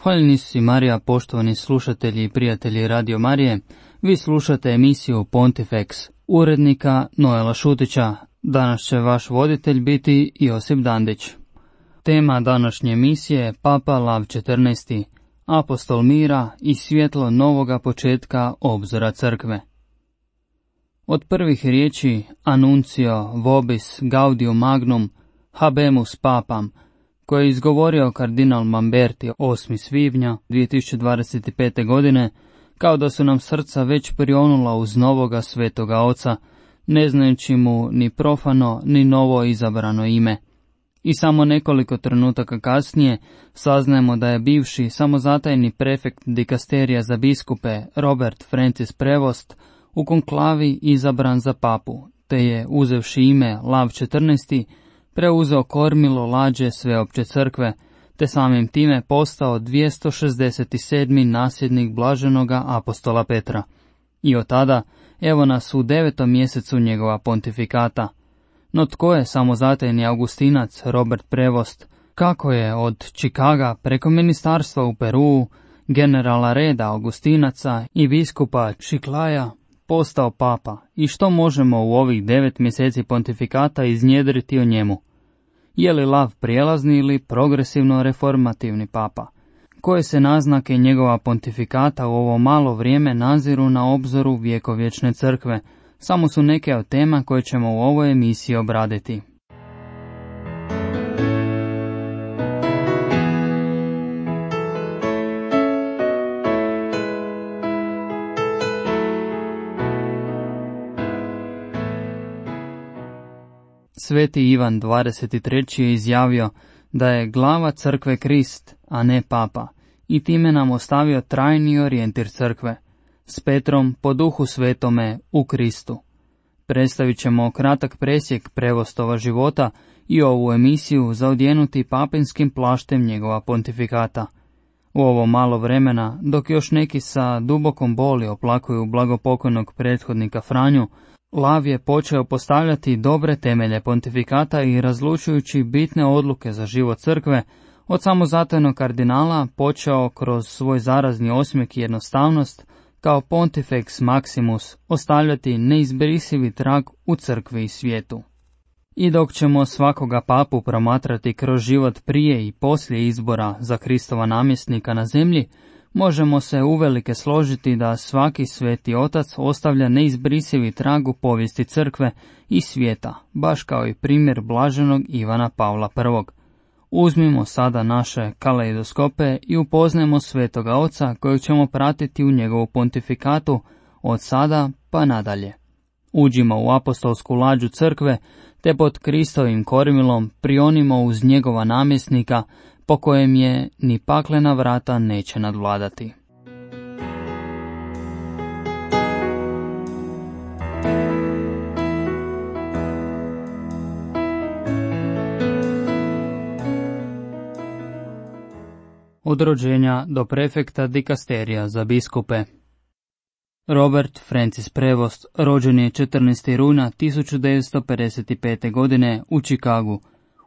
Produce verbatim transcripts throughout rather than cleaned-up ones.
Hvaljeni si Marija, poštovani slušatelji i prijatelji Radio Marije. Vi slušate emisiju Pontifex, urednika Noela Šutića. Danas će vaš voditelj biti Josip Dandić. Tema današnje emisije je Papa Lav četrnaesti, apostol mira i svjetlo novoga početka obzora crkve. Od prvih riječi Annuncio vobis gaudium magnum habemus papam, koje je izgovorio kardinal Mamberti osmog svibnja dvije tisuće dvadeset pete. godine, kao da su nam srca već prionula uz novoga svetoga oca, ne znajući mu ni profano ni novo izabrano ime. I samo nekoliko trenutaka kasnije saznajemo da je bivši samozatajni prefekt dikasterija za biskupe Robert Francis Prevost u konklavi izabran za papu, te je, uzevši ime Lav četrnaesti, preuzeo kormilo lađe sveopće crkve, te samim time postao dvjesto šezdeset sedmi nasljednik blaženoga apostola Petra. I od tada, evo nas u devetom mjesecu njegova pontifikata. No tko je samozatajni augustinac Robert Prevost? Kako je od Čikaga preko ministarstva u Peruu, generala reda augustinaca i biskupa Čiklaja postao papa? I što možemo u ovih devet mjeseci pontifikata iznjedriti o njemu? Je li Lav prijelazni ili progresivno reformativni papa? Koje se naznake njegova pontifikata u ovo malo vrijeme naziru na obzoru vjekovječne crkve? Samo su neke od tema koje ćemo u ovoj emisiji obraditi. Sveti Ivan dvadeset treći je izjavio da je glava crkve Krist, a ne papa, i time nam ostavio trajni orijentir crkve, s Petrom po duhu svetome u Kristu. Predstavit ćemo kratak presjek Prevostova života i ovu emisiju zaodjenuti papinskim plaštem njegova pontifikata. U ovo malo vremena, dok još neki sa dubokom boli oplakuju blagopokojnog prethodnika Franju, Lav je počeo postavljati dobre temelje pontifikata i razlučujući bitne odluke za život crkve, od samozatajnog kardinala počeo kroz svoj zarazni osmijeh i jednostavnost, kao Pontifex Maximus, ostavljati neizbrisivi trag u crkvi i svijetu. I dok ćemo svakoga papu promatrati kroz život prije i poslije izbora za Kristova namjesnika na zemlji, možemo se uvelike složiti da svaki sveti otac ostavlja neizbrisivi trag u povijesti crkve i svijeta, baš kao i primjer blaženog Ivana Pavla prvog. Uzmimo sada naše kaleidoskope i upoznajmo svetoga oca kojeg ćemo pratiti u njegovu pontifikatu od sada pa nadalje. Uđimo u apostolsku lađu crkve, te pod Kristovim kormilom prionimo uz njegova namjesnika, po kojem je ni paklena vrata neće nadvladati. Od rođenja do prefekta dikasterija za biskupe. Robert Francis Prevost rođen je četrnaestog rujna tisuću devetsto pedeset pete. godine u Čikagu,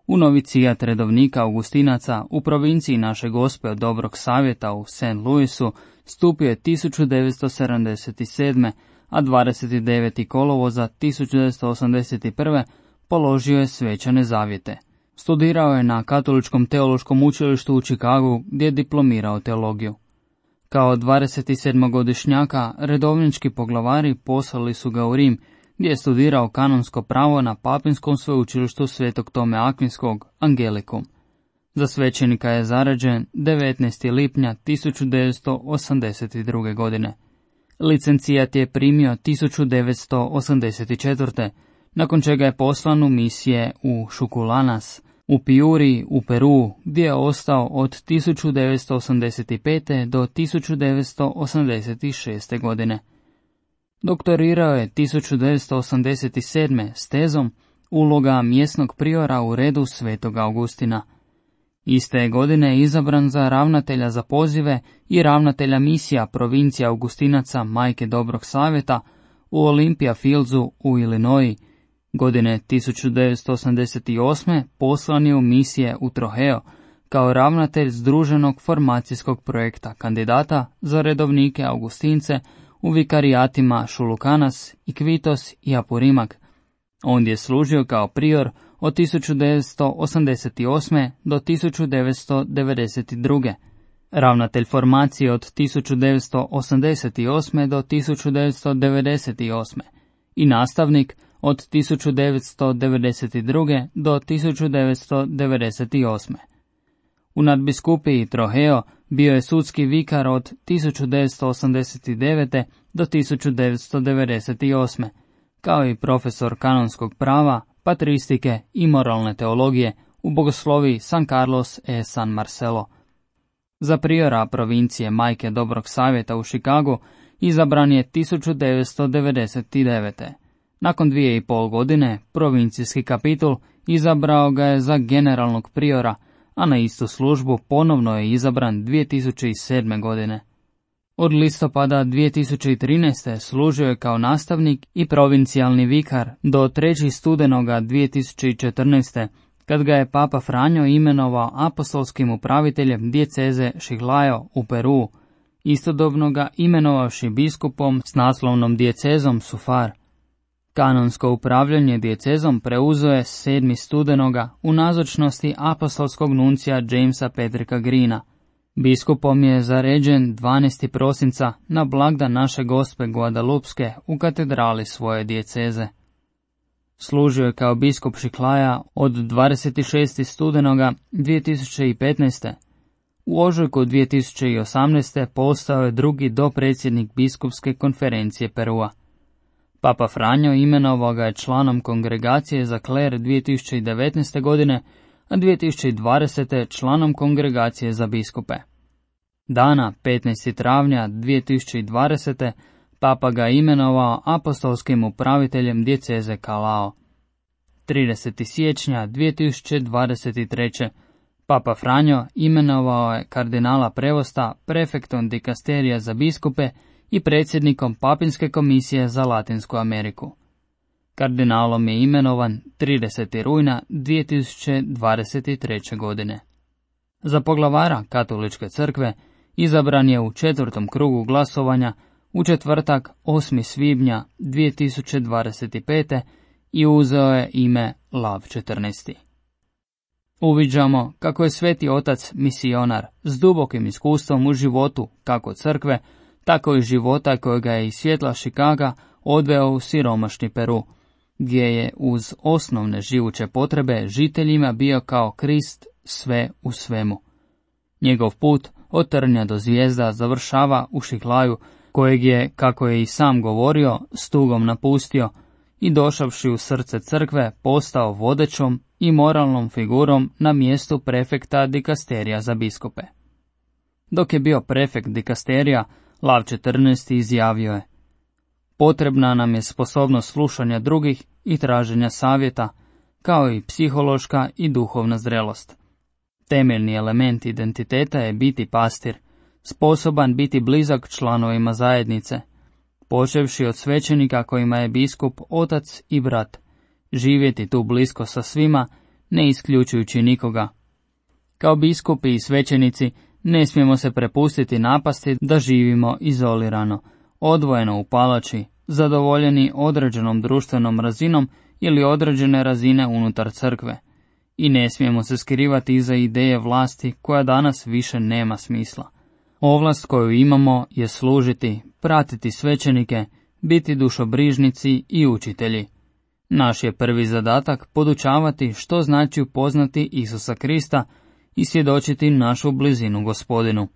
u novicijat redovnika augustinaca u provinciji Naše Gospe od Dobrog Savjeta u Saint Louisu stupio je tisuću devetsto sedamdeset sedme. a dvadeset devetog kolovoza tisuću devetsto osamdeset prve. položio je svečane zavjete. Studirao je na Katoličkom teološkom učilištu u Čikagu, gdje je diplomirao teologiju. Kao dvadesetsedmogodišnjaka redovnički poglavari poslali su ga u Rim, gdje je studirao kanonsko pravo na papinskom sveučilištu Svetog Tome Akvinskog, Angelikum. Za svećenika je zaređen devetnaestog lipnja tisuću devetsto osamdeset druge. godine. Licencijat je primio tisuću devetsto osamdeset četvrte. nakon čega je poslan u misije u Šukulanas, u Piuri, u Peru, gdje je ostao od tisuću devetsto osamdeset pete. do tisuću devetsto osamdeset šeste. godine. Doktorirao je tisuću devetsto osamdeset sedme. s tezom Uloga mjesnog priora u redu Svetog Augustina. Iste je godine izabran za ravnatelja za pozive i ravnatelja misija provincija Augustinaca Majke Dobrog Savjeta u Olympia Fieldsu u Illinois. Godine tisuću devetsto osamdeset osme. poslan je u misije u Trojeo, kao ravnatelj združenog formacijskog projekta kandidata za redovnike Augustince u vikarijatima Šulukanas, Ikvitos i Apurimak. Ondje je služio kao prior od tisuću devetsto osamdeset osme. do tisuću devetsto devedeset druge. Ravnatelj formacije od tisuću devetsto osamdeset osme. do tisuću devetsto devedeset osme. i nastavnik od tisuću devetsto devedeset druge. do tisuću devetsto devedeset osme. U nadbiskupiji Troheo bio je sudski vikar od tisuću devetsto osamdeset devete. do tisuću devetsto devedeset osme. kao i profesor kanonskog prava, patristike i moralne teologije u bogosloviji San Carlos e San Marcelo. Za priora provincije Majke Dobrog Savjeta u Chicagu izabran je tisuću devetsto devedeset devete. Nakon dvije i pol godine provincijski kapitul izabrao ga je za generalnog priora, a na istu službu ponovno je izabran dvije tisuće sedme. godine. Od listopada dvije tisuće trinaeste. služio je kao nastavnik i provincijalni vikar do trećeg studenoga dvije tisuće četrnaeste. kad ga je Papa Franjo imenovao apostolskim upraviteljem dijeceze Chiclayo u Peruu, istodobno ga imenovavši biskupom s naslovnom dijecezom Sufar. Kanonsko upravljanje dijecezom preuzeo je sedmog studenoga u nazočnosti apostolskog nuncija Jamesa Patricka Greena. Biskupom je zaređen dvanaestog prosinca na blagdan naše Gospe Guadalupske u katedrali svoje dijeceze. Služio je kao biskup Chiclaja od dvadeset šestog studenoga dvije tisuće petnaeste. U ožujku dvije tisuće osamnaeste. postao je drugi dopredsjednik biskupske konferencije Perua. Papa Franjo imenovao ga je članom kongregacije za kler dvije tisuće devetnaeste. godine, a dvije tisuće dvadesete. članom kongregacije za biskupe. Dana petnaestog travnja dvije tisuće dvadesete. Papa ga imenovao apostolskim upraviteljem dijeceze Kalao. tridesetog siječnja dvije tisuće dvadeset treće. Papa Franjo imenovao je kardinala Prevosta prefektom dikasterija za biskupe i predsjednikom Papinske komisije za Latinsku Ameriku. Kardinalom je imenovan tridesetog rujna dvije tisuće dvadeset treće. godine. Za poglavara Katoličke crkve izabran je u četvrtom krugu glasovanja u četvrtak osmog svibnja dvije tisuće dvadeset pete. i uzeo je ime Lav četrnaesti. Uviđamo kako je Sveti Otac misionar s dubokim iskustvom u životu kako crkve, tako i života kojega je iz svjetla Chicaga odveo u siromašni Peru, gdje je uz osnovne živuće potrebe žiteljima bio kao Krist sve u svemu. Njegov put od trnja do zvijezda završava u Chiclayu, kojeg je, kako je i sam govorio, s tugom napustio i došavši u srce crkve postao vodećom i moralnom figurom na mjestu prefekta dikasterija za biskupe. Dok je bio prefekt dikasterija, Lav četrnaesti. izjavio je: potrebna nam je sposobnost slušanja drugih i traženja savjeta, kao i psihološka i duhovna zrelost. Temeljni element identiteta je biti pastir, sposoban biti blizak članovima zajednice, počevši od svećenika kojima je biskup otac i brat, živjeti tu blisko sa svima, ne isključujući nikoga. Kao biskupi i svećenici ne smijemo se prepustiti napasti da živimo izolirano, odvojeno u palači, zadovoljeni određenom društvenom razinom ili određene razine unutar crkve. I ne smijemo se skrivati iza ideje vlasti koja danas više nema smisla. Ovlast koju imamo je služiti, pratiti svećenike, biti dušobrižnici i učitelji. Naš je prvi zadatak podučavati što znači upoznati Isusa Krista i svjedočiti našu blizinu Gospodinu.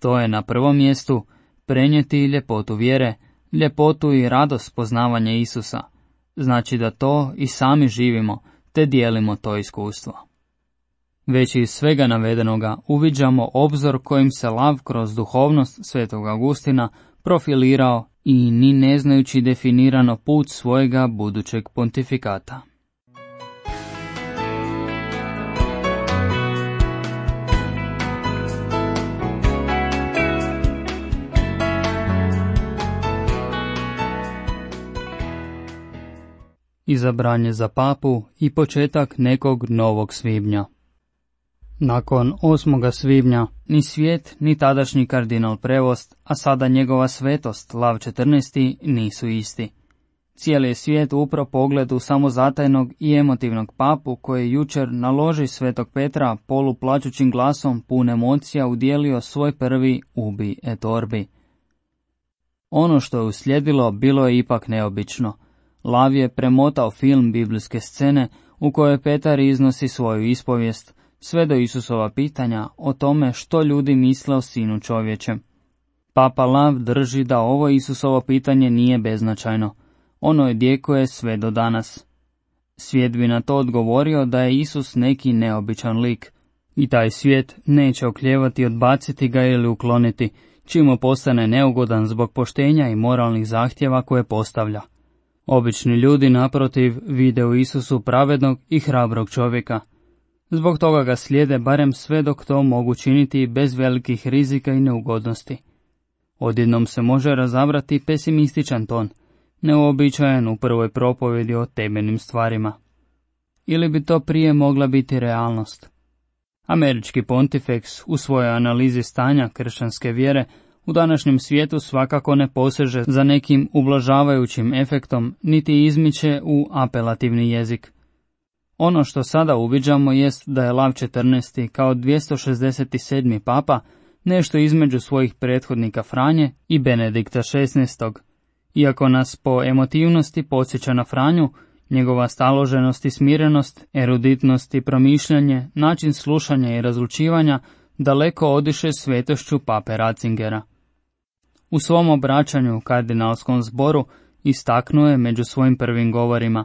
To je na prvom mjestu prenijeti ljepotu vjere, ljepotu i radost poznavanja Isusa. Znači da to i sami živimo, te dijelimo to iskustvo. Već iz svega navedenoga uviđamo obzor kojim se Lav kroz duhovnost svetog Augustina profilirao i ni ne znajući definirano put svojega budućeg pontifikata. Izabranje za papu i početak nekog novog svibnja. Nakon osmog svibnja ni svijet, ni tadašnji kardinal Prevost, a sada njegova svetost Lav četrnaesti nisu isti. Cijeli je svijet upro pogledu samozatajnog i emotivnog papu koji je jučer na loži Svetog Petra poluplačućim glasom pun emocija udjelio svoj prvi ubi et orbi. Ono što je uslijedilo bilo je ipak neobično. Lav je premotao film biblijske scene u kojoj Petar iznosi svoju ispovijest, sve do Isusova pitanja o tome što ljudi misle o Sinu čovječem. Papa Lav drži da ovo Isusovo pitanje nije beznačajno. Ono odjekuje sve do danas. Svijet bi na to odgovorio da je Isus neki neobičan lik, i taj svijet neće oklijevati odbaciti ga ili ukloniti, čim postane neugodan zbog poštenja i moralnih zahtjeva koje postavlja. Obični ljudi, naprotiv, vide u Isusu pravednog i hrabrog čovjeka. Zbog toga ga slijede barem sve dok to mogu činiti bez velikih rizika i neugodnosti. Odjednom se može razabrati pesimističan ton, neuobičajen u prvoj propovjedi o temeljnim stvarima. Ili bi to prije mogla biti realnost? Američki pontifeks u svojoj analizi stanja kršćanske vjere u današnjem svijetu svakako ne poseže za nekim ublažavajućim efektom, niti izmiče u apelativni jezik. Ono što sada uviđamo jest da je Lav četrnaesti kao dvjesto šezdeset sedmi papa nešto između svojih prethodnika Franje i Benedikta šesnaestog. Iako nas po emotivnosti podsjeća na Franju, njegova staloženost i smirenost, eruditnost i promišljanje, način slušanja i razlučivanja daleko odiše svetošću pape Ratzingera. U svom obraćanju kardinalskom zboru istaknuo je među svojim prvim govorima: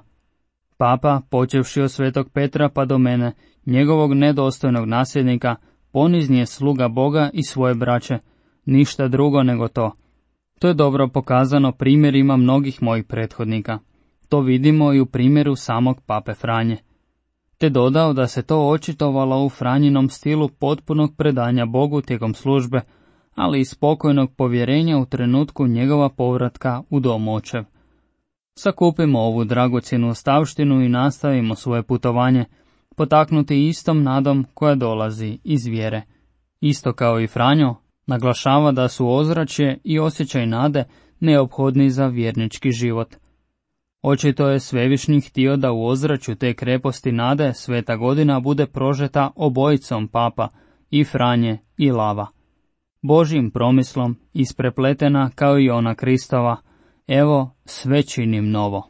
Papa, počevši od Svetog Petra pa do mene, njegovog nedostojnog nasljednika, ponizni je sluga Boga i svoje braće, ništa drugo nego to. To je dobro pokazano primjerima mnogih mojih prethodnika. To vidimo i u primjeru samog pape Franje. Te dodao da se to očitovalo u Franjinom stilu potpunog predanja Bogu tijekom službe, ali i spokojnog povjerenja u trenutku njegova povratka u dom očev. Sakupimo ovu dragocjenu ostavštinu i nastavimo svoje putovanje, potaknuti istom nadom koja dolazi iz vjere. Isto kao i Franjo, naglašava da su ozračje i osjećaj nade neophodni za vjernički život. Očito je Svevišnji htio da u ozračju te kreposti nade sveta godina bude prožeta obojicom papa, i Franje i Lava. Božjim promislom isprepletena kao i ona Kristova, evo sve činim novo.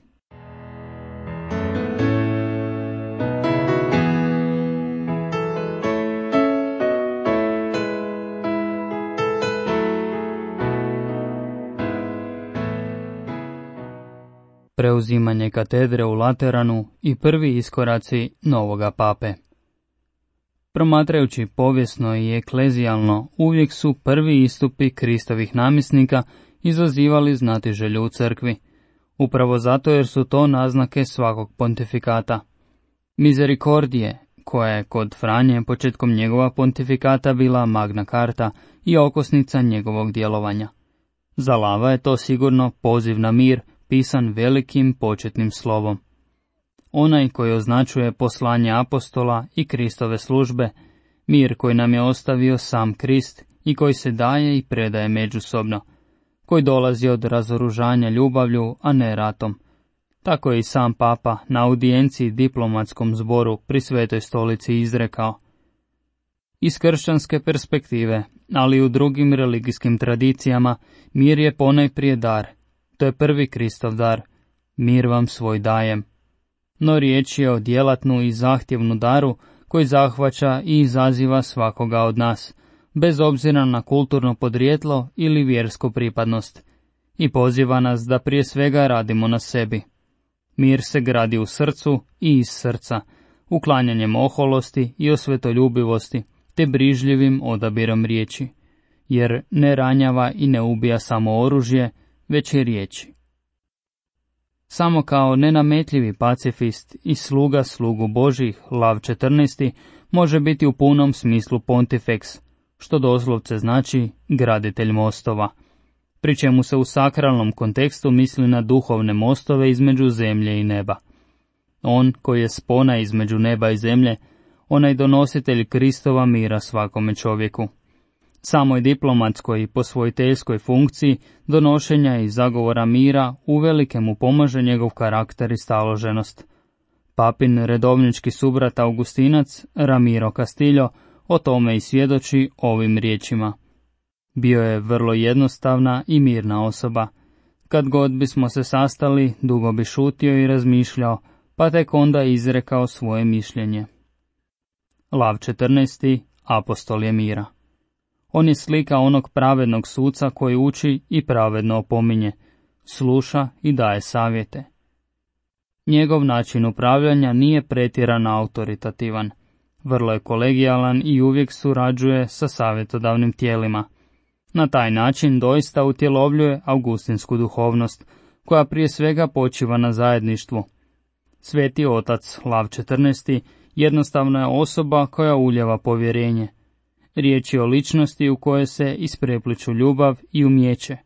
Preuzimanje katedre u Lateranu i prvi iskoraci novoga pape. Promatrajući povijesno i eklezijalno, uvijek su prvi istupi Kristovih namjesnika izazivali znatiželju u crkvi, upravo zato jer su to naznake svakog pontifikata. Misericordije, koja je kod Franje početkom njegova pontifikata bila magna carta i okosnica njegovog djelovanja. Za Lava je to sigurno poziv na mir, pisan velikim početnim slovom. Onaj koji označuje poslanje apostola i Kristove službe, mir koji nam je ostavio sam Krist i koji se daje i predaje međusobno, koji dolazi od razoružanja ljubavlju, a ne ratom. Tako je i sam papa na audijenciji diplomatskom zboru pri Svetoj stolici izrekao: iz kršćanske perspektive, ali i u drugim religijskim tradicijama, mir je ponajprije dar. To je prvi Kristov dar, mir vam svoj dajem. No riječ je o djelatnu i zahtjevnu daru koji zahvaća i izaziva svakoga od nas, bez obzira na kulturno podrijetlo ili vjersku pripadnost, i poziva nas da prije svega radimo na sebi. Mir se gradi u srcu i iz srca, uklanjanjem oholosti i osvetoljubivosti, te brižljivim odabirom riječi, jer ne ranjava i ne ubija samo oružje, već i riječi. Samo kao nenametljivi pacifist i sluga slugu Božih, Lav četrnaesti može biti u punom smislu pontifeks, što doslovce znači graditelj mostova, pri čemu se u sakralnom kontekstu misli na duhovne mostove između zemlje i neba. On koji je spona između neba i zemlje, onaj donositelj Kristova mira svakome čovjeku. Samoj diplomatskoj i posvojiteljskoj funkciji donošenja i zagovora mira uvelike mu pomaže njegov karakter i staloženost. Papin redovnički subrat Augustinac, Ramiro Castillo, o tome i svjedoči ovim riječima. Bio je vrlo jednostavna i mirna osoba. Kad god bismo se sastali, dugo bi šutio i razmišljao, pa tek onda izrekao svoje mišljenje. Lav četrnaesti. Apostol je mira. On je slika onog pravednog suca koji uči i pravedno opominje, sluša i daje savjete. Njegov način upravljanja nije pretjerano autoritativan. Vrlo je kolegijalan i uvijek surađuje sa savjetodavnim tijelima. Na taj način doista utjelovljuje augustinsku duhovnost, koja prije svega počiva na zajedništvu. Sveti otac Lav četrnaesti. jednostavna je osoba koja uljeva povjerenje. Riječ je o ličnosti u kojoj se isprepliču ljubav i umijeće.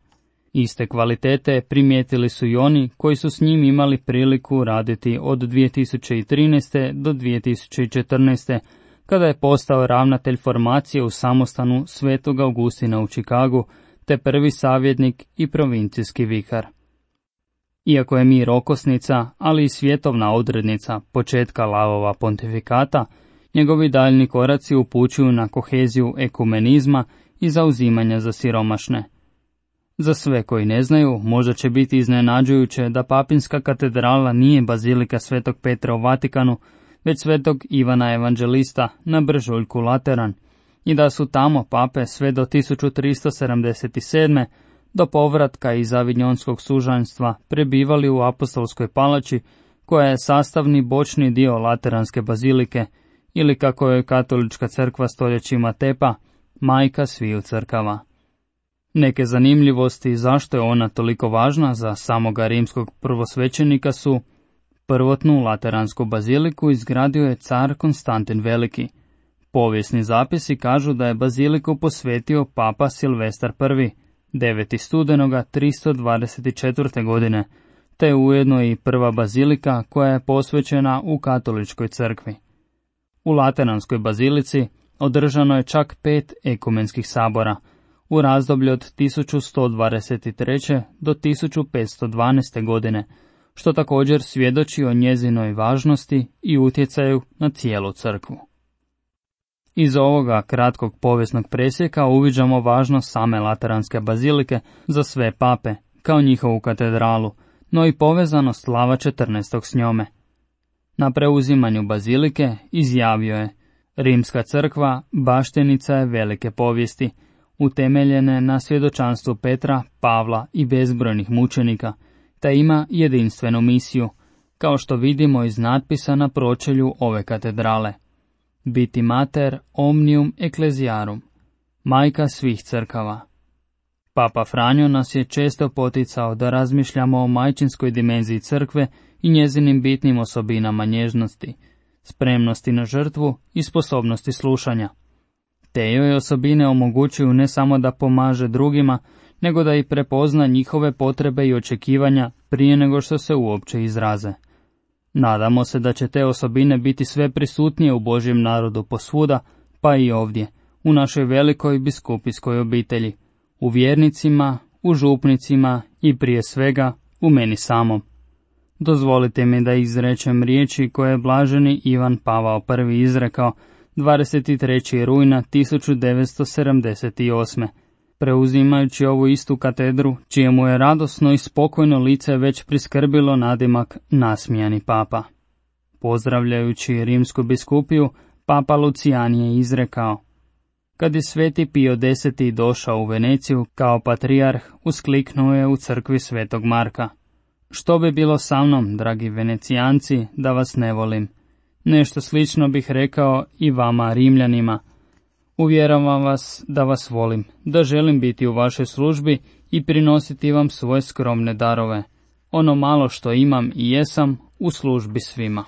Iste kvalitete primijetili su i oni koji su s njim imali priliku raditi od dvije tisuće trinaeste. do dvije tisuće četrnaeste. kada je postao ravnatelj formacije u samostanu Svetog Augustina u Čikagu, te prvi savjetnik i provincijski vikar. Iako je mir okosnica, ali i svjetovna odrednica početka Lavova pontifikata, njegovi daljni koraci upućuju na koheziju ekumenizma i zauzimanja za siromašne. Za sve koji ne znaju, možda će biti iznenađujuće da Papinska katedrala nije bazilika Svetog Petra u Vatikanu, već Svetog Ivana Evanđelista na Brežuljku Lateran, i da su tamo pape sve do tisuću tristo sedamdeset sedme. do povratka iz avignjonskog sužanjstva prebivali u apostolskoj palači, koja je sastavni bočni dio Lateranske bazilike, ili kako je katolička crkva stoljećima tepa, majka sviju crkava. Neke zanimljivosti zašto je ona toliko važna za samoga rimskog prvosvećenika su: prvotnu Lateransku baziliku izgradio je car Konstantin Veliki. Povijesni zapisi kažu da je baziliku posvetio papa Silvestar I. devetog studenoga tristo dvadeset četvrte. godine, te ujedno i prva bazilika koja je posvećena u katoličkoj crkvi. U Lateranskoj bazilici održano je čak pet ekumenskih sabora u razdoblju od tisuću sto dvadeset treće. do tisuću petsto dvanaeste. godine, što također svjedoči o njezinoj važnosti i utjecaju na cijelu crkvu. Iz ovoga kratkog povijesnog presjeka uviđamo važnost same Lateranske bazilike za sve pape, kao njihovu katedralu, no i povezanost Lava četrnaestog s njome. Na preuzimanju bazilike izjavio je: Rimska crkva baštenica je velike povijesti, utemeljene na svjedočanstvu Petra, Pavla i bezbrojnih mučenika, te ima jedinstvenu misiju, kao što vidimo iz natpisa na pročelju ove katedrale: biti mater omnium ecclesiarum, majka svih crkava. Papa Franjo nas je često poticao da razmišljamo o majčinskoj dimenziji crkve i njezinim bitnim osobinama nježnosti, spremnosti na žrtvu i sposobnosti slušanja. Te joj osobine omogućuju ne samo da pomaže drugima, nego da i prepozna njihove potrebe i očekivanja prije nego što se uopće izraze. Nadamo se da će te osobine biti sve prisutnije u Božjem narodu posvuda, pa i ovdje, u našoj velikoj biskupijskoj obitelji, u vjernicima, u župnicima i prije svega u meni samom. Dozvolite mi da izrečem riječi koje je blaženi Ivan Pavao I. izrekao dvadeset trećeg rujna tisuću devetsto sedamdeset osme. preuzimajući ovu istu katedru, čijemu je radosno i spokojno lice već priskrbilo nadimak nasmijani papa. Pozdravljajući rimsku biskupiju, papa Lucijan je izrekao: kad je sveti Pio deseti došao u Veneciju kao patrijarh, uskliknuo je u crkvi svetog Marka: što bi bilo sa mnom, dragi Venecijanci, da vas ne volim? Nešto slično bih rekao i vama, Rimljanima. Uvjeravam vas da vas volim, da želim biti u vašoj službi i prinositi vam svoje skromne darove, ono malo što imam i jesam, u službi svima.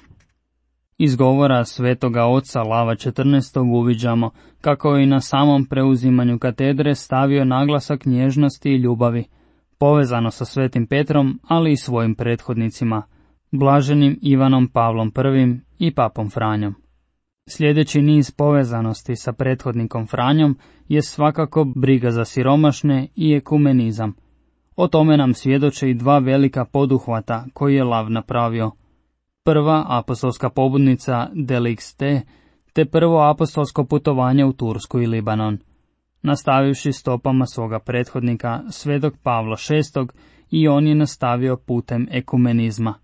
Iz govora svetoga oca Lava četrnaestog uviđamo kako je i na samom preuzimanju katedre stavio naglasak nježnosti i ljubavi, povezano sa svetim Petrom, ali i svojim prethodnicima, blaženim Ivanom Pavlom I. i papom Franjom. Sljedeći niz povezanosti sa prethodnikom Franjom je svakako briga za siromašne i ekumenizam. O tome nam svjedoče i dva velika poduhvata koji je Lav napravio. Prva apostolska pobudnica Delix te, te prvo apostolsko putovanje u Tursku i Libanon. Nastavivši stopama svoga prethodnika, svedog Pavla šestog, i on je nastavio putem ekumenizma.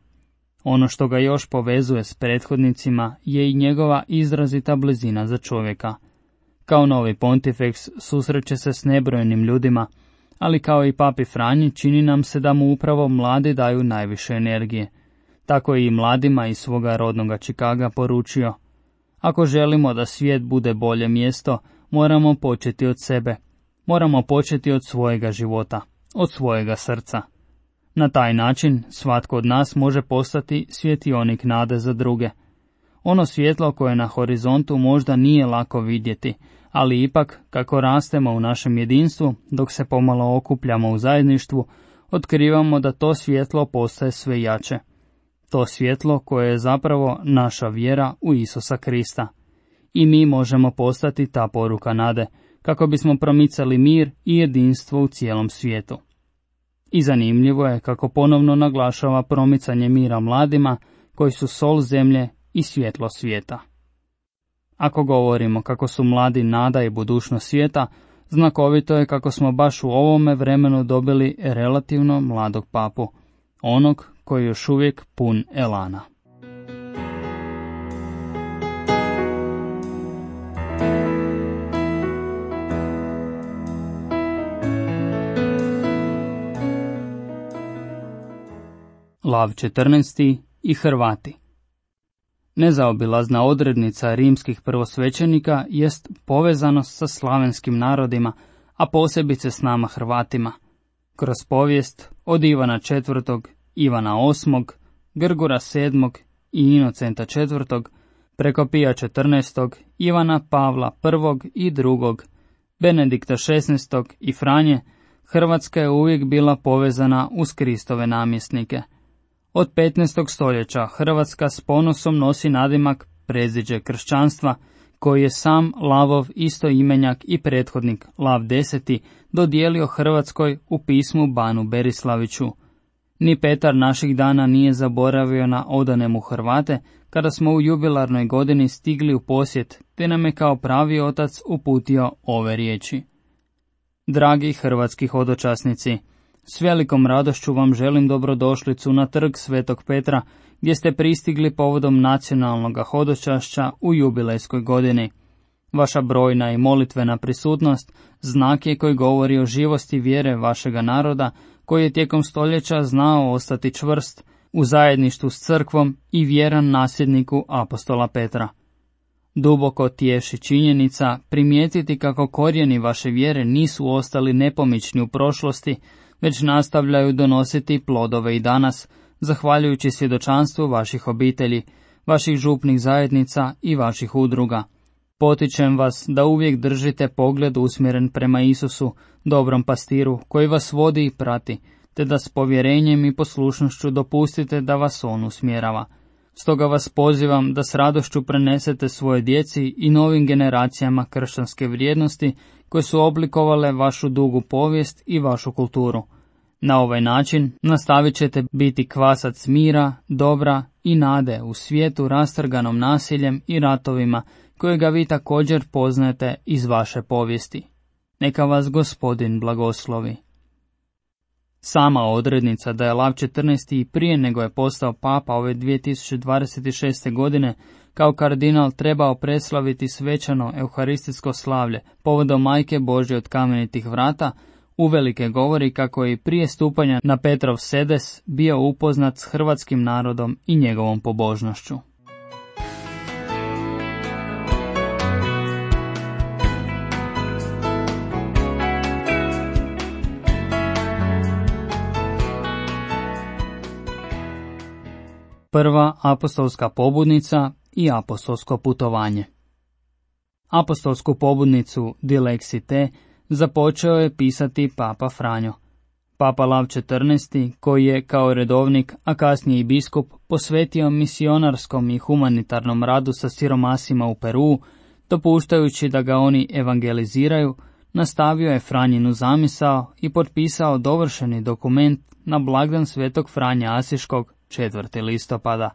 Ono što ga još povezuje s prethodnicima je i njegova izrazita blizina za čovjeka. Kao novi pontifeks susreće se s nebrojenim ljudima, ali kao i papi Franji čini nam se da mu upravo mladi daju najviše energije. Tako je i mladima iz svoga rodnoga Čikaga poručio: ako želimo da svijet bude bolje mjesto, moramo početi od sebe. Moramo početi od svojega života, od svojega srca. Na taj način svatko od nas može postati svjetionik nade za druge. Ono svjetlo koje na horizontu možda nije lako vidjeti, ali ipak kako rastemo u našem jedinstvu, dok se pomalo okupljamo u zajedništvu, otkrivamo da to svjetlo postaje sve jače. To svjetlo koje je zapravo naša vjera u Isusa Krista. I mi možemo postati ta poruka nade, kako bismo promicali mir i jedinstvo u cijelom svijetu. I zanimljivo je kako ponovno naglašava promicanje mira mladima, koji su sol zemlje i svjetlo svijeta. Ako govorimo kako su mladi nada i budućnost svijeta, znakovito je kako smo baš u ovome vremenu dobili relativno mladog papu, onog koji je još uvijek pun elana. Lav četrnaesti i Hrvati. Nezaobilazna odrednica rimskih prvosvećenika jest povezanost sa slavenskim narodima, a posebice s nama Hrvatima. Kroz povijest od Ivana četvrtog, Ivana osmog, Grgura sedmog i Inocenta četvrtog, preko Pija četrnaestog, Ivana Pavla prvog i drugog, Benedikta šesnaestog i Franje, Hrvatska je uvijek bila povezana uz Kristove namjesnike. Od petnaestog stoljeća Hrvatska s ponosom nosi nadimak predziđe kršćanstva, koji je sam Lavov istoimenjak i prethodnik Lav deseti dodijelio Hrvatskoj u pismu Banu Berislaviću. Ni Petar naših dana nije zaboravio na odane mu Hrvate, kada smo u jubilarnoj godini stigli u posjet, te nam je kao pravi otac uputio ove riječi. Dragi hrvatski hodočasnici, s velikom radošću vam želim dobrodošlicu na trg Svetog Petra, gdje ste pristigli povodom nacionalnog hodočašća u jubilejskoj godini. Vaša brojna i molitvena prisutnost znak je koji govori o živosti vjere vašega naroda, koji je tijekom stoljeća znao ostati čvrst u zajedništvu s crkvom i vjeran nasljedniku apostola Petra. Duboko tješi činjenica primijetiti kako korijeni vaše vjere nisu ostali nepomični u prošlosti, već nastavljaju donositi plodove i danas, zahvaljujući svjedočanstvu vaših obitelji, vaših župnih zajednica i vaših udruga. Potičem vas da uvijek držite pogled usmjeren prema Isusu, dobrom pastiru, koji vas vodi i prati, te da s povjerenjem i poslušnošću dopustite da vas on usmjerava. Stoga vas pozivam da s radošću prenesete svoje djeci i novim generacijama kršćanske vrijednosti koje su oblikovale vašu dugu povijest i vašu kulturu. Na ovaj način nastavit ćete biti kvasac mira, dobra i nade u svijetu rastrganom nasiljem i ratovima kojega vi također poznajete iz vaše povijesti. Neka vas Gospodin blagoslovi. Sama odrednica da je Lav četrnaesti i prije nego je postao papa ove dvije tisuće dvadeset šeste. godine kao kardinal trebao preslaviti svečano euharistijsko slavlje povodom Majke Božje od kamenitih vrata, uvelike govori kako je i prije stupanja na Petrov sedes bio upoznat s hrvatskim narodom i njegovom pobožnošću. Prva apostolska pobudnica i apostolsko putovanje. Apostolsku pobudnicu Dilexi te započeo je pisati Papa Franjo. Papa Lav četrnaesti, koji je kao redovnik, a kasnije i biskup, posvetio misionarskom i humanitarnom radu sa siromasima u Peruu, dopuštajući da ga oni evangeliziraju, nastavio je Franjinu zamisao i potpisao dovršeni dokument na blagdan Svetog Franje Asiškog četvrtog listopada.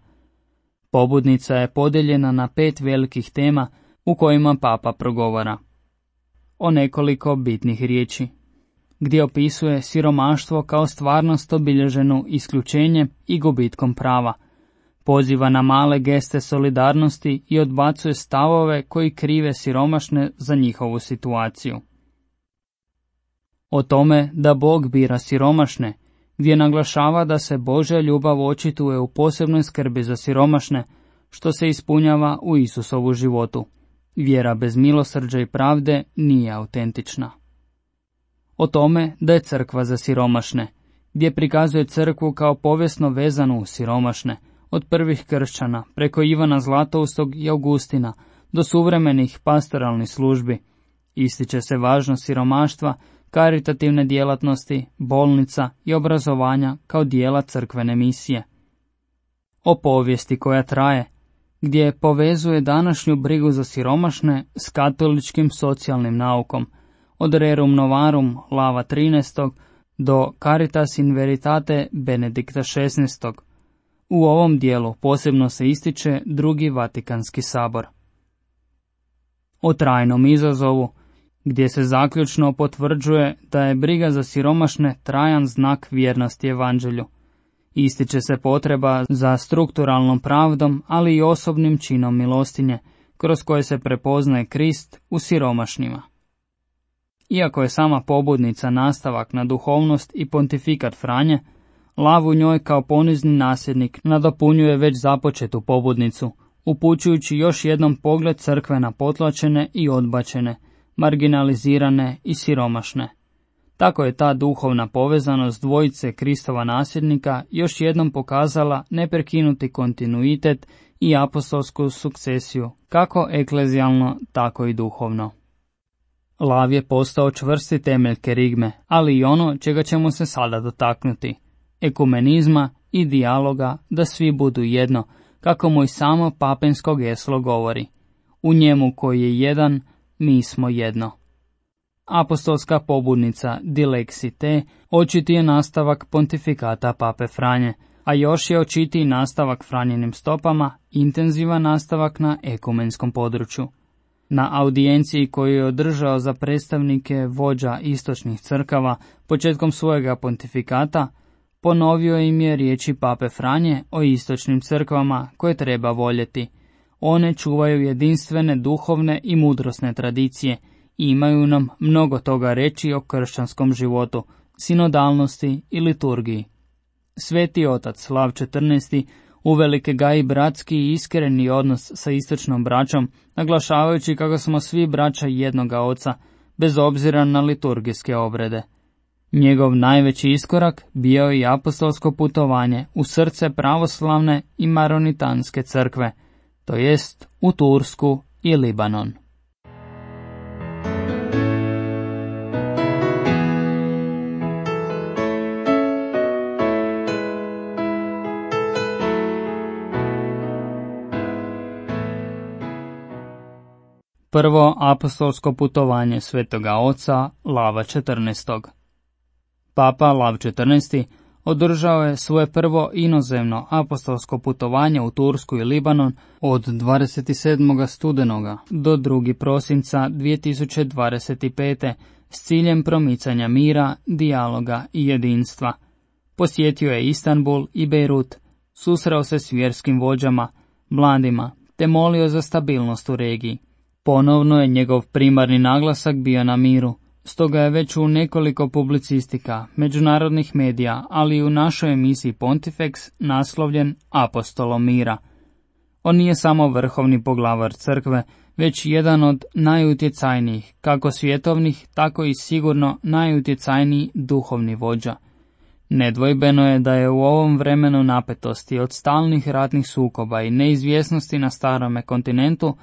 Pobudnica je podijeljena na pet velikih tema u kojima papa progovara o nekoliko bitnih riječi, gdje opisuje siromaštvo kao stvarnost obilježenu isključenjem i gubitkom prava, poziva na male geste solidarnosti i odbacuje stavove koji krive siromašne za njihovu situaciju. O tome da Bog bira siromašne, gdje naglašava da se Božja ljubav očituje u posebnoj skrbi za siromašne, što se ispunjava u Isusovu životu. Vjera bez milosrđa i pravde nije autentična. O tome da je crkva za siromašne, gdje prikazuje crkvu kao povijesno vezanu u siromašne, od prvih kršćana, preko Ivana Zlatoustog i Augustina, do suvremenih pastoralnih službi. Ističe se važnost siromaštva, karitativne djelatnosti, bolnica i obrazovanja kao dijela crkvene misije. O povijesti koja traje, gdje povezuje današnju brigu za siromašne s katoličkim socijalnim naukom, od Rerum Novarum Lava trinaestog do Caritas in Veritate Benedikta šesnaestog. U ovom dijelu posebno se ističe drugi Vatikanski sabor. O trajnom izazovu, gdje se zaključno potvrđuje da je briga za siromašne trajan znak vjernosti evanđelju. Ističe se potreba za strukturalnom pravdom, ali i osobnim činom milostinje, kroz koje se prepoznaje Krist u siromašnima. Iako je sama pobudnica nastavak na duhovnost i pontifikat Franje, Lav u njoj kao ponizni nasljednik nadopunjuje već započetu pobudnicu, upućujući još jednom pogled crkve na potlačene i odbačene, marginalizirane i siromašne. Tako je ta duhovna povezanost dvojice Kristova nasljednika još jednom pokazala neprekinuti kontinuitet i apostolsku sukcesiju, kako eklezijalno, tako i duhovno. Lav je postao čvrsti temelj kerigme, ali i ono čega ćemo se sada dotaknuti, ekumenizma i dijaloga da svi budu jedno, kako mu i samo papensko geslo govori. U njemu koji je jedan, mi smo jedno. Apostolska pobudnica Dilexite očiti je nastavak pontifikata Pape Franje, a još je očitiji nastavak Franjenim stopama, intenzivan nastavak na ekumenskom području. Na audijenciji koju je održao za predstavnike vođa istočnih crkava početkom svojega pontifikata, ponovio im je riječi Pape Franje o istočnim crkvama koje treba voljeti. One čuvaju jedinstvene duhovne i mudrosne tradicije i imaju nam mnogo toga reći o kršćanskom životu, sinodalnosti i liturgiji. Sveti otac Lav četrnaesti uvelike gaji bratski i iskreni odnos sa istočnom braćom, naglašavajući kako smo svi braća jednoga oca, bez obzira na liturgijske obrede. Njegov najveći iskorak bio je i apostolsko putovanje u srce pravoslavne i maronitanske crkve, to jest u Tursku i Libanon. Prvo apostolsko putovanje Svetoga Oca Lava četrnaestog. Papa Lav četrnaesti održao je svoje prvo inozemno apostolsko putovanje u Tursku i Libanon od dvadeset sedmog studenoga do drugog prosinca dvije tisuće dvadeset pete s ciljem promicanja mira, dijaloga i jedinstva. Posjetio je Istanbul i Bejrut, susreo se s vjerskim vođama, mladima, te molio za stabilnost u regiji. Ponovno je njegov primarni naglasak bio na miru, stoga je već u nekoliko publicistika, međunarodnih medija, ali i u našoj emisiji Pontifex naslovljen Apostolom mira. On nije samo vrhovni poglavar crkve, već jedan od najutjecajnijih, kako svjetovnih, tako i sigurno najutjecajniji duhovni vođa. Nedvojbeno je da je u ovom vremenu napetosti od stalnih ratnih sukoba i neizvjesnosti na starome kontinentu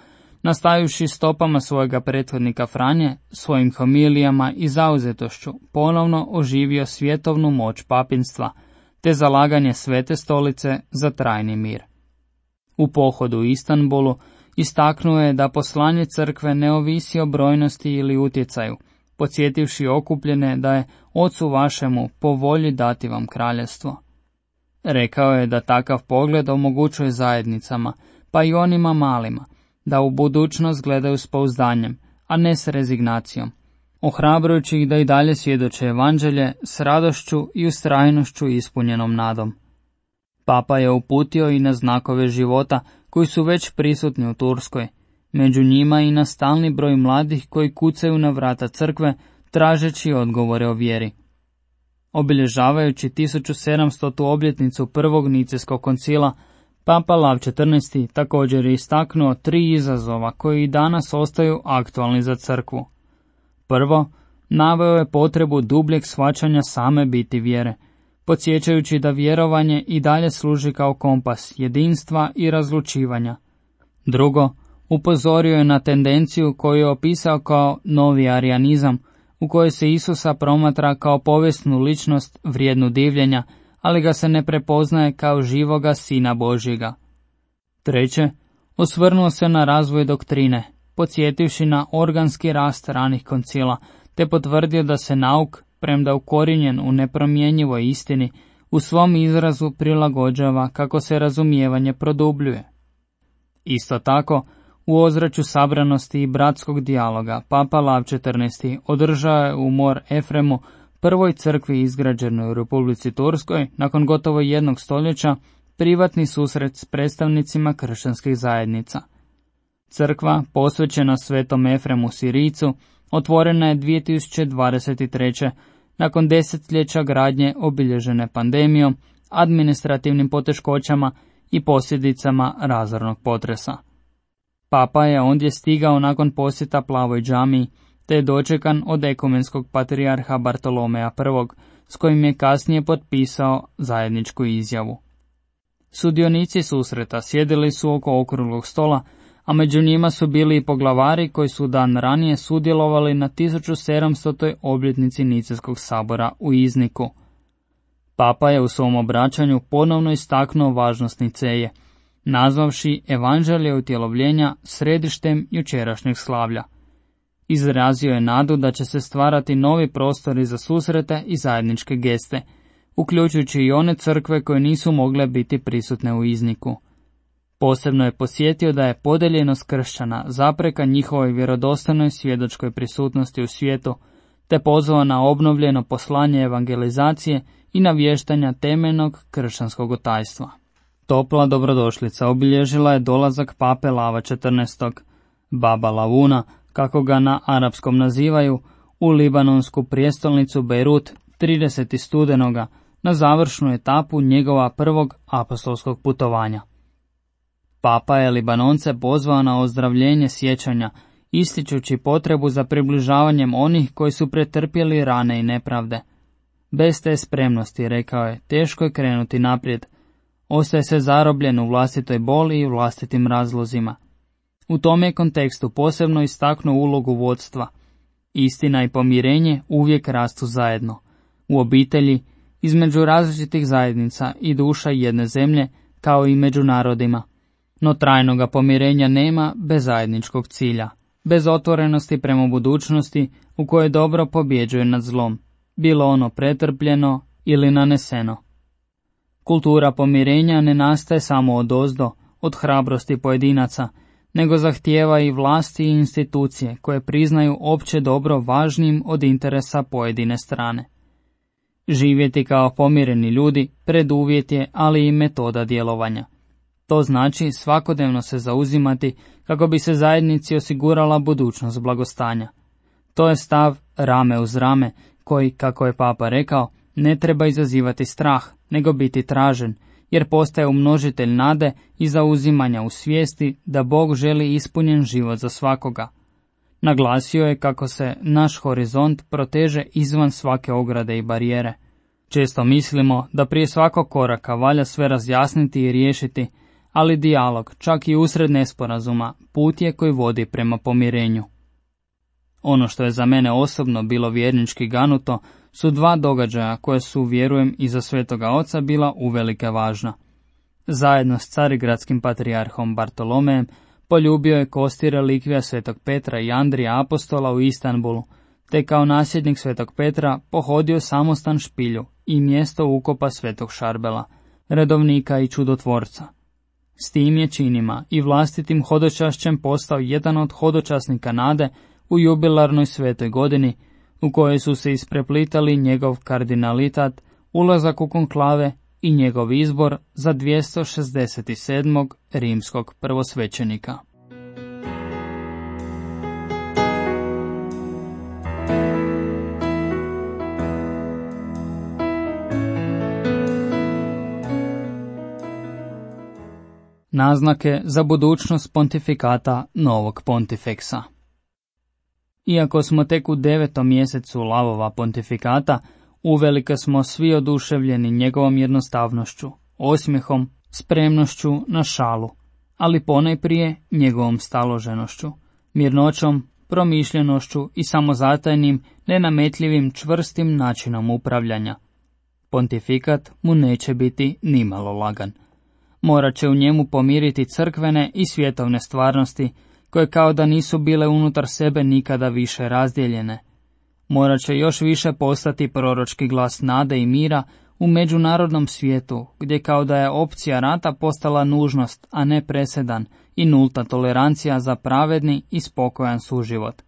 nastavivši stopama svojega prethodnika Franje, svojim homilijama i zauzetošću ponovno oživio svjetovnu moć papinstva, te zalaganje Svete stolice za trajni mir. U pohodu u Istanbulu istaknuo je da poslanje crkve ne ovisi o brojnosti ili utjecaju, podsjetivši okupljene da je Ocu vašemu po volji dati vam kraljevstvo. Rekao je da takav pogled omogućuje zajednicama, pa i onima malima, da u budućnost gledaju s pouzdanjem, a ne s rezignacijom, ohrabrujući ih da i dalje svjedoče evanđelje s radošću i ustrajnošću ispunjenom nadom. Papa je uputio i na znakove života koji su već prisutni u Turskoj, među njima i na stalni broj mladih koji kucaju na vrata crkve tražeći odgovore o vjeri. Obilježavajući tisuću sedamstotu obljetnicu prvog Nicejskog koncila, Papa Lav četrnaesti također je istaknuo tri izazova koji i danas ostaju aktualni za crkvu. Prvo, naveo je potrebu dubljeg shvaćanja same biti vjere, podsjećajući da vjerovanje i dalje služi kao kompas jedinstva i razlučivanja. Drugo, upozorio je na tendenciju koju je opisao kao novi arijanizam, u kojoj se Isusa promatra kao povijesnu ličnost vrijednu divljenja, ali ga se ne prepoznaje kao živoga Sina Božjega. Treće, osvrnuo se na razvoj doktrine, podsjetivši na organski rast ranih koncila, te potvrdio da se nauk, premda ukorijenjen u nepromjenjivoj istini, u svom izrazu prilagođava kako se razumijevanje produbljuje. Isto tako, u ozračju sabranosti i bratskog dijaloga, Papa Lav četrnaesti održao je u Mor Efremu, prvoj crkvi izgrađenoj u Republici Turskoj, nakon gotovo jednog stoljeća, privatni susret s predstavnicima kršćanskih zajednica. Crkva, posvećena Svetom Efremu Sirijcu, otvorena je dvije tisuće dvadeset treće. nakon desetljeća gradnje obilježene pandemijom, administrativnim poteškoćama i posljedicama razornog potresa. Papa je ondje stigao nakon posjeta Plavoj džamiji, te je dočekan od ekumenskog patrijarha Bartolomeja I, s kojim je kasnije potpisao zajedničku izjavu. Sudionici susreta sjedili su oko okruglog stola, a među njima su bili i poglavari koji su dan ranije sudjelovali na tisuću sedamstotoj obljetnici Nicejskog sabora u Izniku. Papa je u svom obraćanju ponovno istaknuo važnost Niceje, nazvavši evanđelje utjelovljenja središtem jučerašnjeg slavlja. Izrazio je nadu da će se stvarati novi prostori za susrete i zajedničke geste, uključujući i one crkve koje nisu mogle biti prisutne u Izniku. Posebno je posjetio da je podeljenost kršćana zapreka njihovoj vjerodostojnoj svjedočkoj prisutnosti u svijetu, te pozvao na obnovljeno poslanje evangelizacije i navještanja temeljnog kršćanskog tajstva. Topla dobrodošlica obilježila je dolazak pape Lava četrnaestog, Baba Lavuna, kako ga na arapskom nazivaju, u libanonsku prijestolnicu Bejrut tridesetog studenoga na završnu etapu njegova prvog apostolskog putovanja. Papa je Libanonce pozvao na ozdravljenje sjećanja, ističući potrebu za približavanjem onih koji su pretrpjeli rane i nepravde. Bez te spremnosti, rekao je, teško je krenuti naprijed. Ostaje se zarobljen u vlastitoj boli i vlastitim razlozima. U tom je kontekstu posebno istaknuo ulogu vodstva. Istina i pomirenje uvijek rastu zajedno. U obitelji, između različitih zajednica i duša jedne zemlje, kao i među narodima. No trajnoga pomirenja nema bez zajedničkog cilja, bez otvorenosti prema budućnosti u kojoj dobro pobjeđuje nad zlom, bilo ono pretrpljeno ili naneseno. Kultura pomirenja ne nastaje samo odozdo, od hrabrosti pojedinaca, nego zahtijeva i vlasti i institucije koje priznaju opće dobro važnijim od interesa pojedine strane. Živjeti kao pomireni ljudi preduvjet je, ali i metoda djelovanja. To znači svakodnevno se zauzimati kako bi se zajednici osigurala budućnost blagostanja. To je stav rame uz rame koji, kako je Papa rekao, ne treba izazivati strah, nego biti tražen, jer postaje umnožitelj nade i zauzimanja u svijesti da Bog želi ispunjen život za svakoga. Naglasio je kako se naš horizont proteže izvan svake ograde i barijere. Često mislimo da prije svakog koraka valja sve razjasniti i riješiti, ali dijalog, čak i usred nesporazuma, put je koji vodi prema pomirenju. Ono što je za mene osobno bilo vjernički ganuto su dva događaja koje su, vjerujem, i za Svetoga Oca bila uvelike važna. Zajedno s carigradskim patrijarhom Bartolomejem poljubio je kosti relikvija Svetog Petra i Andrija apostola u Istanbulu, te kao nasljednik Svetog Petra pohodio samostan Špilju i mjesto ukopa Svetog Šarbela, redovnika i čudotvorca. S tim je činima i vlastitim hodočašćem postao jedan od hodočasnika nade u jubilarnoj svetoj godini, u kojoj su se ispreplitali njegov kardinalitat, ulazak u konklave i njegov izbor za dvjesto šezdeset sedmog rimskog prvosvećenika. Naznake za budućnost pontifikata novog pontifeksa. Iako smo tek u devetom mjesecu Lavova pontifikata, uvelike smo svi oduševljeni njegovom jednostavnošću, osmijehom, spremnošću na šalu, ali ponajprije njegovom staloženošću, mirnoćom, promišljenošću i samozatajnim, nenametljivim, čvrstim načinom upravljanja. Pontifikat mu neće biti nimalo lagan. Morat će u njemu pomiriti crkvene i svjetovne stvarnosti, koje kao da nisu bile unutar sebe nikada više razdijeljene. Morat će još više postati proročki glas nade i mira u međunarodnom svijetu, gdje kao da je opcija rata postala nužnost, a ne presedan, i nulta tolerancija za pravedni i spokojan suživot.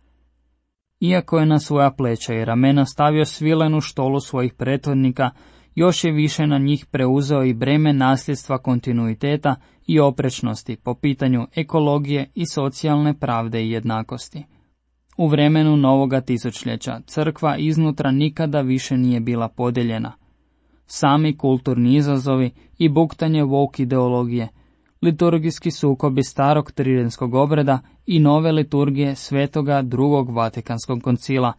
Iako je na svoja pleća i ramena stavio svilenu štolu svojih prethodnika, još je više na njih preuzeo i breme nasljedstva kontinuiteta i oprečnosti po pitanju ekologije i socijalne pravde i jednakosti. U vremenu novoga tisućljeća crkva iznutra nikada više nije bila podijeljena. Sami kulturni izazovi i buktanje woke ideologije, liturgijski sukobi starog tridenskog obreda i nove liturgije Svetoga drugog Vatikanskog koncila,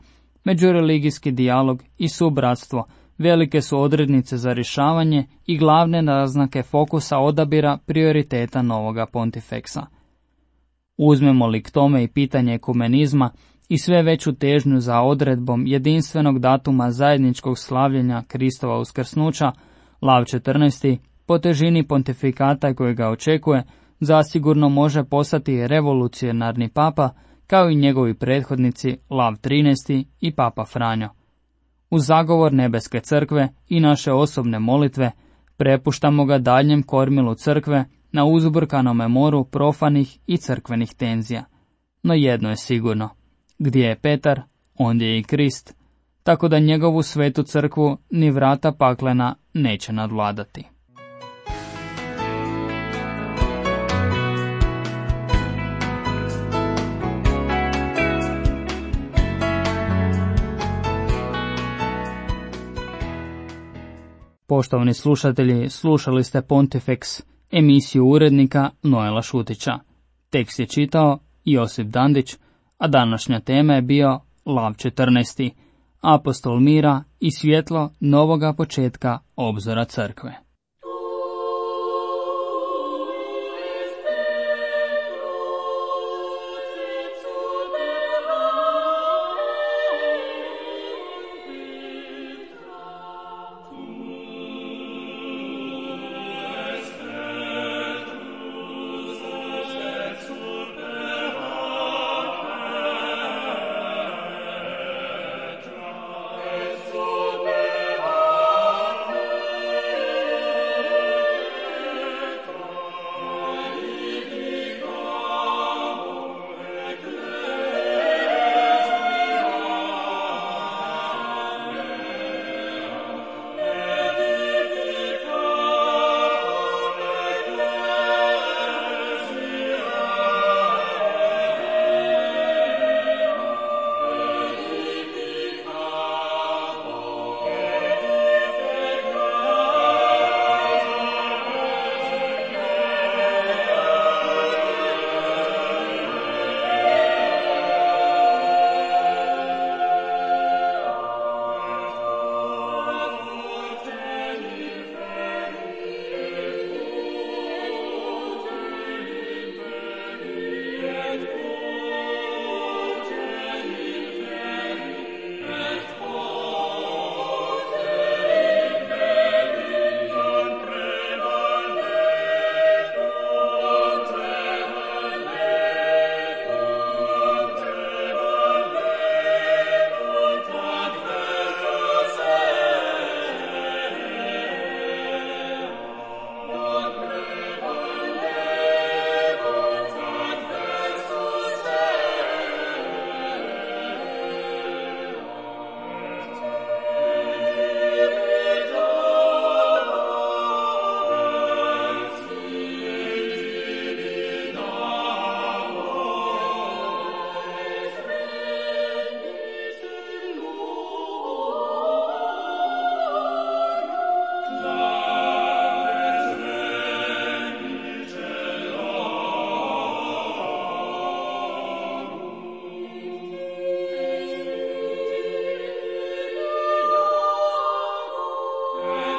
međureligijski dijalog i subratstvo velike su odrednice za rješavanje i glavne naznake fokusa odabira prioriteta novoga pontifeksa. Uzmemo li k tome i pitanje ekumenizma i sve veću težnju za odredbom jedinstvenog datuma zajedničkog slavljenja Kristova uskrsnuća, Lav četrnaesti, po težini pontifikata koji ga očekuje, zasigurno može postati revolucionarni papa, kao i njegovi prethodnici Lav trinaesti i Papa Franjo. Uz zagovor nebeske crkve i naše osobne molitve, prepuštamo ga daljnjem kormilu crkve na uzburkanome moru profanih i crkvenih tenzija. No jedno je sigurno, gdje je Petar, ondje je i Krist, tako da njegovu svetu crkvu ni vrata paklena neće nadvladati. Poštovani slušatelji, slušali ste Pontifex, emisiju urednika Noela Šutića. Tekst je čitao Josip Dandić, a današnja tema je bio Lav četrnaesti, apostol mira i svjetlo novoga početka obzora crkve.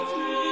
Gott